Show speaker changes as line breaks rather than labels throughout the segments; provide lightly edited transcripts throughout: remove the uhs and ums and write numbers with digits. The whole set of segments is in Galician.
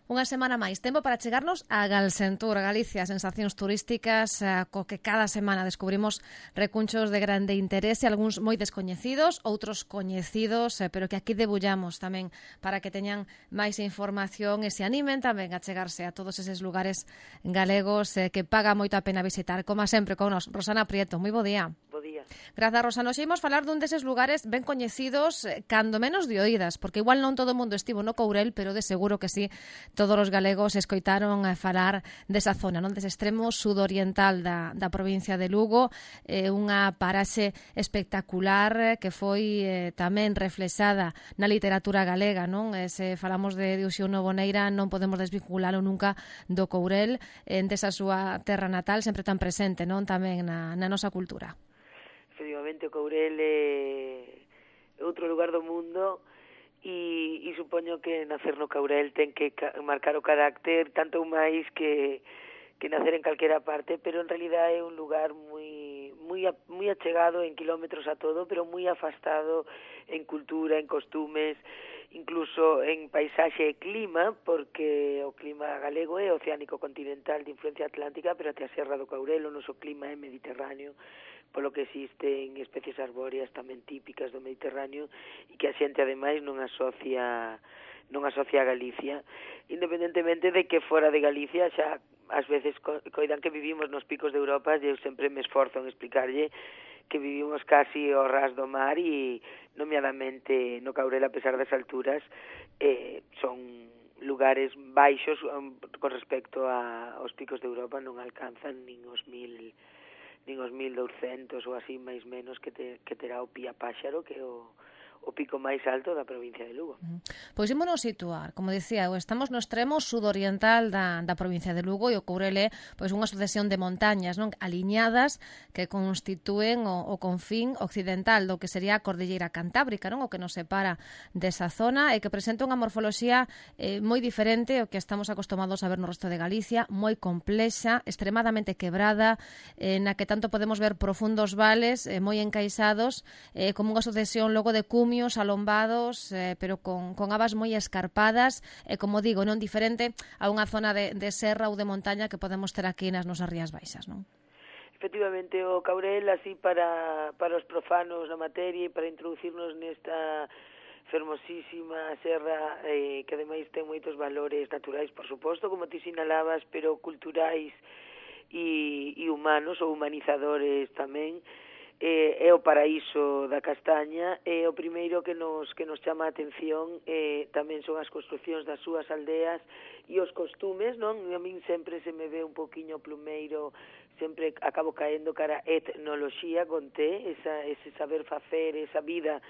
Unha semana máis, tempo para chegarnos a Galsentur, Galicia, sensacións turísticas co que cada semana descubrimos recunchos de grande interese, algúns moi descoñecidos, outros coñecidos, pero que aquí debullamos tamén para que teñan máis información e se animen tamén a chegarse a todos eses lugares galegos que paga moito a pena visitar. Como sempre con nos, Rosana Prieto, moi bo día.
Bo día.
Grazas, Rosana. Hoxe imos falar dun deses lugares ben coñecidos, cando menos de oídas, porque igual non todo o mundo estivo no Courel, pero de seguro que sí, todos os galegos escoitaron a falar desa zona, non, dese extremo sudoriental da provincia de Lugo, unha paraxe espectacular que foi tamén reflexada na literatura galega, non? Se falamos de Diuxiuno Boneira non podemos desvinculalo nunca do Courel, desa súa terra natal, sempre tan presente, non, tamén na nosa cultura.
Efectivamente, o Courel é outro lugar do mundo e supoño que nacer no Courel ten que marcar o carácter tanto máis que nacer en calquera parte, pero en realidad é un lugar moi achegado en kilómetros a todo, pero moi afastado en cultura, en costumes, incluso en paisaxe e clima, porque o clima galego é oceánico continental de influencia atlántica, pero até a Serra do Courel o noso clima é mediterráneo, polo que existen especies arbóreas tamén típicas do Mediterráneo e que a xente ademais non asocia a Galicia, independentemente de que fora de Galicia xa ás veces coidan que vivimos nos picos de Europa e eu sempre me esforzo en explicarlle que vivimos casi ao ras do mar e nomeadamente no Courel, a pesar das alturas, son lugares baixos con respecto aos picos de Europa, non alcanzan nin os 1200 ou así máis menos que terá o Pía Páxaro, que é o pico máis alto da provincia de Lugo.
Pois ímonos situar, como dicía, estamos no extremo sudoriental da provincia de Lugo e o Courel é pois unha sucesión de montañas, non, aliñadas que constitúen o confín occidental do que sería a Cordilleira Cantábrica, non, o que nos separa desa zona e que presenta unha morfoloxía moi diferente ao que estamos acostumados a ver no resto de Galicia, moi complexa, extremadamente quebrada, na que tanto podemos ver profundos vales moi encaixados, como unha sucesión logo de cumios alombados, pero con abas moi escarpadas, e como digo, non diferente a unha zona de serra ou de montaña que podemos ter aquí nas nosas Rías Baixas, non?
Efectivamente, o Courel, así para os profanos na materia e para introducirnos nesta fermosísima serra que ademais ten moitos valores naturais, por suposto, como ti sinalabas, pero culturais e humanos ou humanizadores tamén. É o paraíso da castaña, e o primeiro que nos chama a atención tamén son as construcións das súas aldeas e os costumes, non? A min sempre se me ve un poquinho plumeiro, sempre acabo caendo cara a etnoloxía con T, ese saber facer, esa vida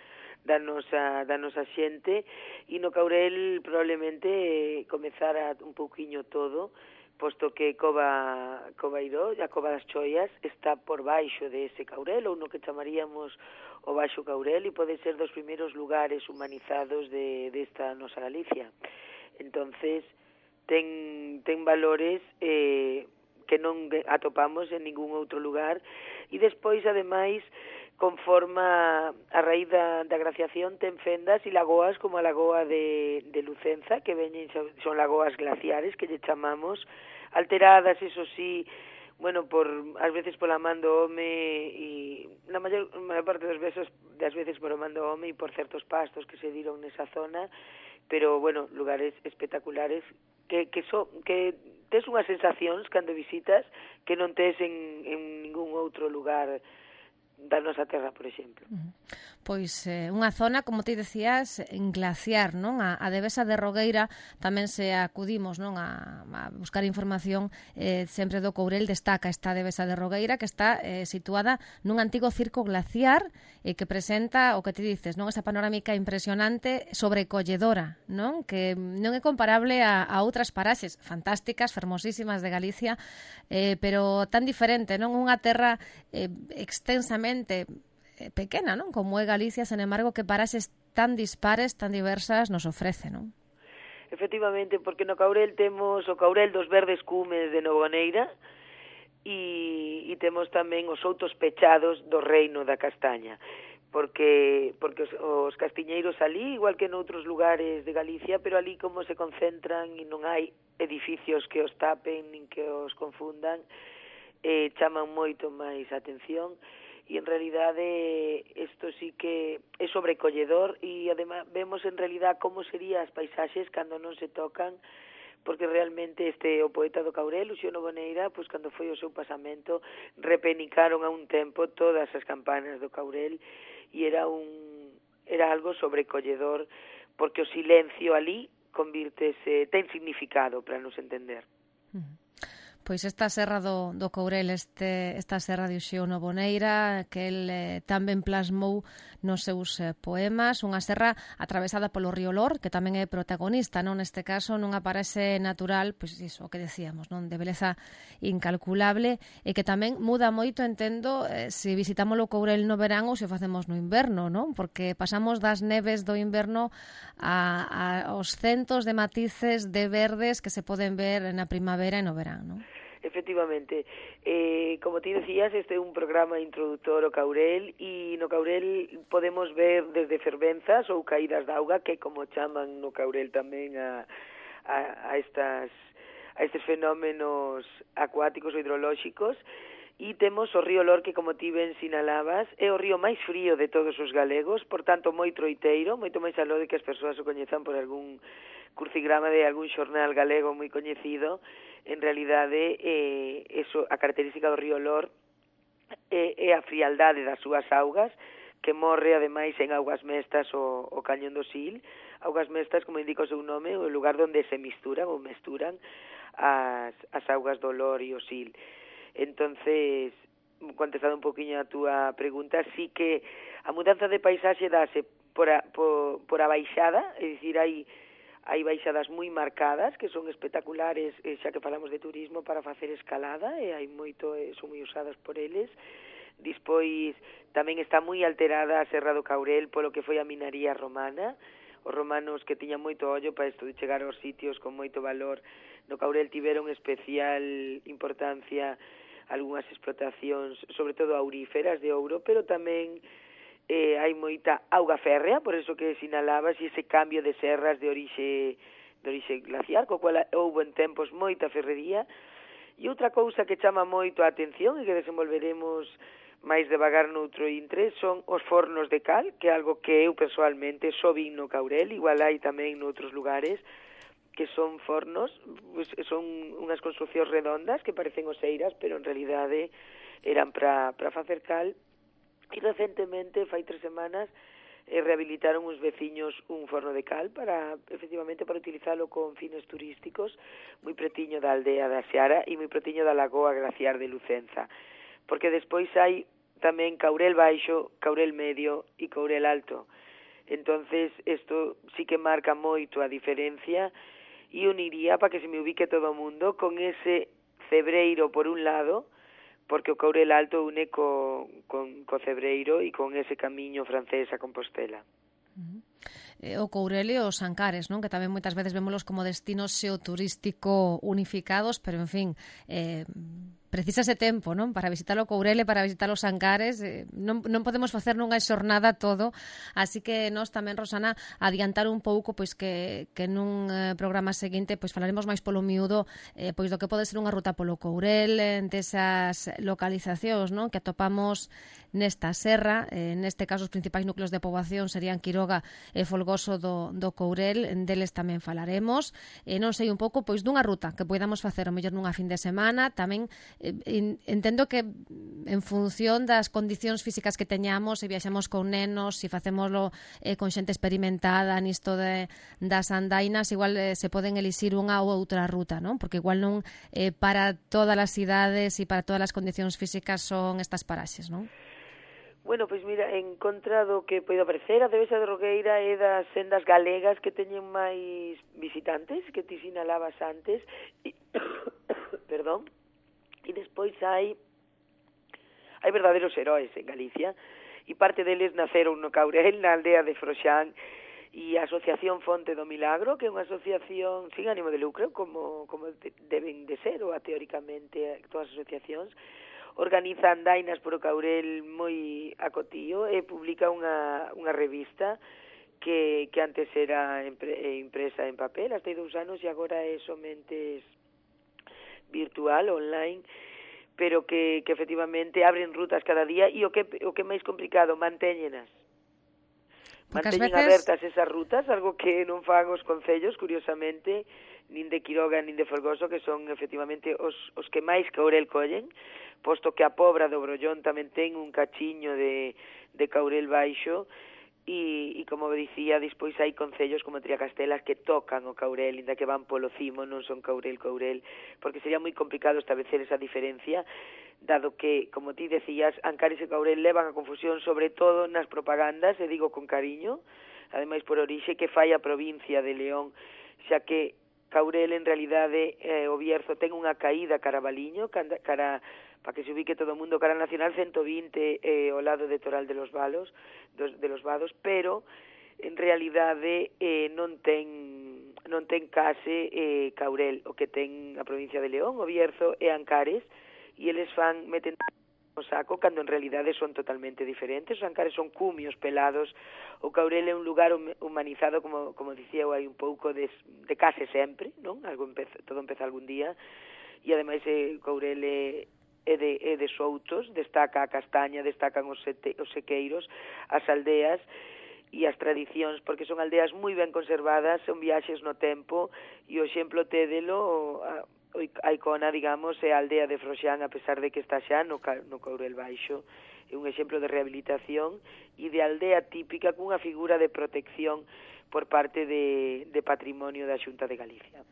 da nosa xente, e no Courel probablemente comezara un poquinho todo, posto que Covairó, a Cova das Choias, está por baixo de ese Courel, ou no que chamaríamos o Baixo Courel, e pode ser dos primeiros lugares humanizados desta nosa Galicia. Entonces, ten valores que non atopamos en ningún outro lugar, e despois, ademais, conforme a raíz da glaciación, ten fendas e lagoas como a lagoa de Lucenza, que son lagoas glaciares, que lle chamamos, alteradas, eso sí, bueno, ás veces pola man do home, e na maior parte das veces por a man do home e por certos pastos que se diron nesa zona, pero, bueno, lugares espectaculares que tes unhas sensacións cando visitas que non tes en ningún outro lugar da nosa terra, por exemplo.
Pois unha zona, como ti decías, en glaciar, non? A Devesa de Rogueira tamén se acudimos, non, a buscar información sempre do Courel, destaca esta Devesa de Rogueira que está situada nun antigo circo glaciar e que presenta o que ti dices, non, esa panorámica impresionante, sobrecolledora, non? Que non é comparable a outras paraxes fantásticas, fermosísimas de Galicia, pero tan diferente, non? Unha terra extensamente pequena, non? Como é Galicia, sen embargo, que paraxes tan dispares, tan diversas nos ofrece, non?
Efectivamente, porque no Courel temos o Courel dos verdes cumes de Novoneira e temos tamén os outos pechados do reino da castaña. porque os castiñeiros ali, igual que noutros lugares de Galicia, pero ali como se concentran e non hai edificios que os tapen nin que os confundan, chaman moito máis a atención, e en realidade isto sí que é sobrecolledor, e además vemos en realidad como serían as paisaxes cando non se tocan, porque realmente o poeta do Caurel, Uxío Noboneira, pois cando foi o seu pasamento, repenicaron a un tempo todas as campanas do Caurel, e era algo sobrecolledor, porque o silencio ali ten significado para nos entender.
Pois esta serra do Courel, esta serra de Uxío Noboneira, que el tamén plasmou nos seus poemas, unha serra atravesada polo río Lor, que tamén é protagonista, non? Neste caso, nunha paraxe natural, pois iso, o que decíamos, non? De beleza incalculable, e que tamén muda moito, entendo, se visitamos o Courel no verán ou se o facemos no inverno, non? Porque pasamos das neves do inverno aos centos de matices de verdes que se poden ver na primavera e no verán, non?
Efectivamente, como ti decías, este é un programa introductor ao Caurel, e no Caurel podemos ver desde fervenzas ou caídas de auga, que como chaman no Caurel tamén a estes fenómenos acuáticos ou hidrolóxicos, e temos o río Lor, que como ti ben sinalabas, é o río máis frío de todos os galegos, por tanto moi troiteiro, moito máis aló de que as persoas o coñezan por algún crucigrama de algún xornal galego moi coñecido. En realidade, a característica do río Lor é a frialdade das súas augas, que morre, ademais, en augas mestas o cañón do Sil. Augas mestas, como indica o seu nome, o lugar onde se mesturan as augas do Lor e o Sil. Entonces, contestando un poquinho a túa pregunta, sí que a mudanza de paisaxe dáse por a baixada, é dicir, hai baixadas moi marcadas, que son espectaculares, xa que falamos de turismo, para facer escalada, e hai moito, son moi usadas por eles. Despois, tamén está moi alterada a Serra do Caurel polo que foi a minaría romana. Os romanos, que tiñan moito ollo para isto de chegar aos sitios con moito valor, no Caurel tiveron especial importancia algunhas explotacións, sobre todo auríferas de ouro, pero tamén hai moita auga férrea, por eso que sinalabas, e ese cambio de serras de orixe glaciar, co cual houve en tempos moita ferrería. E outra cousa que chama moito a atención e que desenvolveremos máis devagar noutro intre son os fornos de cal, que é algo que eu persoalmente só vin no Caurel, igual hai tamén noutros lugares, que son fornos, pues, son unhas construcións redondas que parecen oseiras, pero en realidade eran para facer cal. E recentemente, fai 3 semanas, rehabilitaron uns veciños un forno de cal efectivamente para utilizalo con fines turísticos, moi pretiño da aldea da Seara e moi pretiño da lagoa glaciar de Lucenza, porque despois hai tamén Caurel Baixo, Caurel Medio e Caurel Alto. Entonces, isto sí que marca moito a diferencia, e uniría, para que se me ubique todo o mundo, con ese Cebreiro por un lado, porque o Caurel Alto une co Cebreiro e con ese camiño francés a Compostela.
O Courel e os Ancares, non? Que tamén moitas veces vémolos como destinos xeoturístico unificados, pero, en fin, precisa ese tempo, non? Para visitar o Courel e para visitar os Ancares, non podemos facer nunha xornada todo, así que nós tamén, Rosana, adiantar un pouco, pois que nun programa seguinte pois falaremos máis polo miúdo, pois do que pode ser unha ruta polo Courel, desas localizacións, non? Que atopamos nesta serra, neste caso os principais núcleos de poboación serían Quiroga e Folgoso do Courel, deles tamén falaremos, non sei un pouco pois dunha ruta que poidamos facer o mellor nunha fin de semana, tamén entendo que en función das condicións físicas que teñamos, se viaxamos con nenos, se facémoslo con xente experimentada nisto das andainas, igual se poden elixir unha ou outra ruta, non? Porque igual non para todas as cidades e para todas as condicións físicas son estas paraxes, non?
Bueno, pois mira, en contra do que poida parecer, a Devesa de Roqueira é das sendas galegas que teñen máis visitantes, que ti sinalabas antes, perdón, e despois hai verdadeiros heróis en Galicia, e parte deles naceron no Caurel, na aldea de Froxán, e a Asociación Fonte do Milagro, que é unha asociación sin ánimo de lucro, como deben de ser, ou teóricamente todas as asociacións, organiza andainas por o Caurel moi acotío e publica unha revista que antes era impresa en papel, hasta hai 2 anos, e agora é somente virtual, online, pero que efectivamente abren rutas cada día, e o que é máis complicado, mantéñenas. Manteñen abertas esas rutas, algo que non fan os concellos, curiosamente, nin de Quiroga nin de Folgoso, que son efectivamente os que máis Caurel collen, posto que a Pobra do Brollón tamén ten un cachiño de Caurel baixo, e como dicía, despois hai concellos como Triacastelas que tocan o Caurel, inda que van polo cimo, non son Caurel, porque sería moi complicado establecer esa diferencia, dado que, como ti decías, Ancares e Caurel levan a confusión sobre todo nas propagandas, e digo con cariño, ademais por orixe que fai a provincia de León, xa que Caurel en realidade o Bierzo ten unha caída cara a Baliño, cara para que se ubique todo o mundo, cara Nacional 120 ao lado de Toral de los Vados, pero en realidade non ten case Caurel, o que ten a provincia de León, o Bierzo e Ancares, e eles meten o saco cando en realidade son totalmente diferentes. Os Ancares son cumios pelados, o Caurel é un lugar humanizado, como dicía eu, hai un pouco de case sempre, non? Todo empeza algún día, e ademais Caurel é de soutos, destaca a castaña, destacan os sequeiros, as aldeas e as tradicións, porque son aldeas moi ben conservadas, son viaxes no tempo, e o exemplo tédelo, a icona, digamos, é a aldea de Froxán, a pesar de que está xa no Caurel baixo, é un exemplo de rehabilitación e de aldea típica cunha figura de protección por parte de patrimonio da Xunta de Galicia.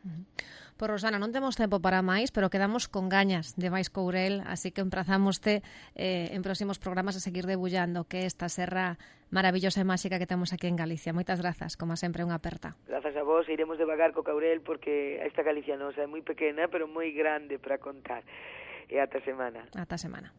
Pois, Rosana, non temos tempo para máis, pero quedamos con gañas de máis Courel, así que emprazámoste en próximos programas a seguir debullando que esta serra maravillosa e máxica que temos aquí en Galicia. Moitas grazas, como sempre, unha aperta.
Grazas a vos, iremos devagar co Caurel, porque esta Galicia nosa é moi pequena, pero moi grande para contar. E ata semana.
Ata semana.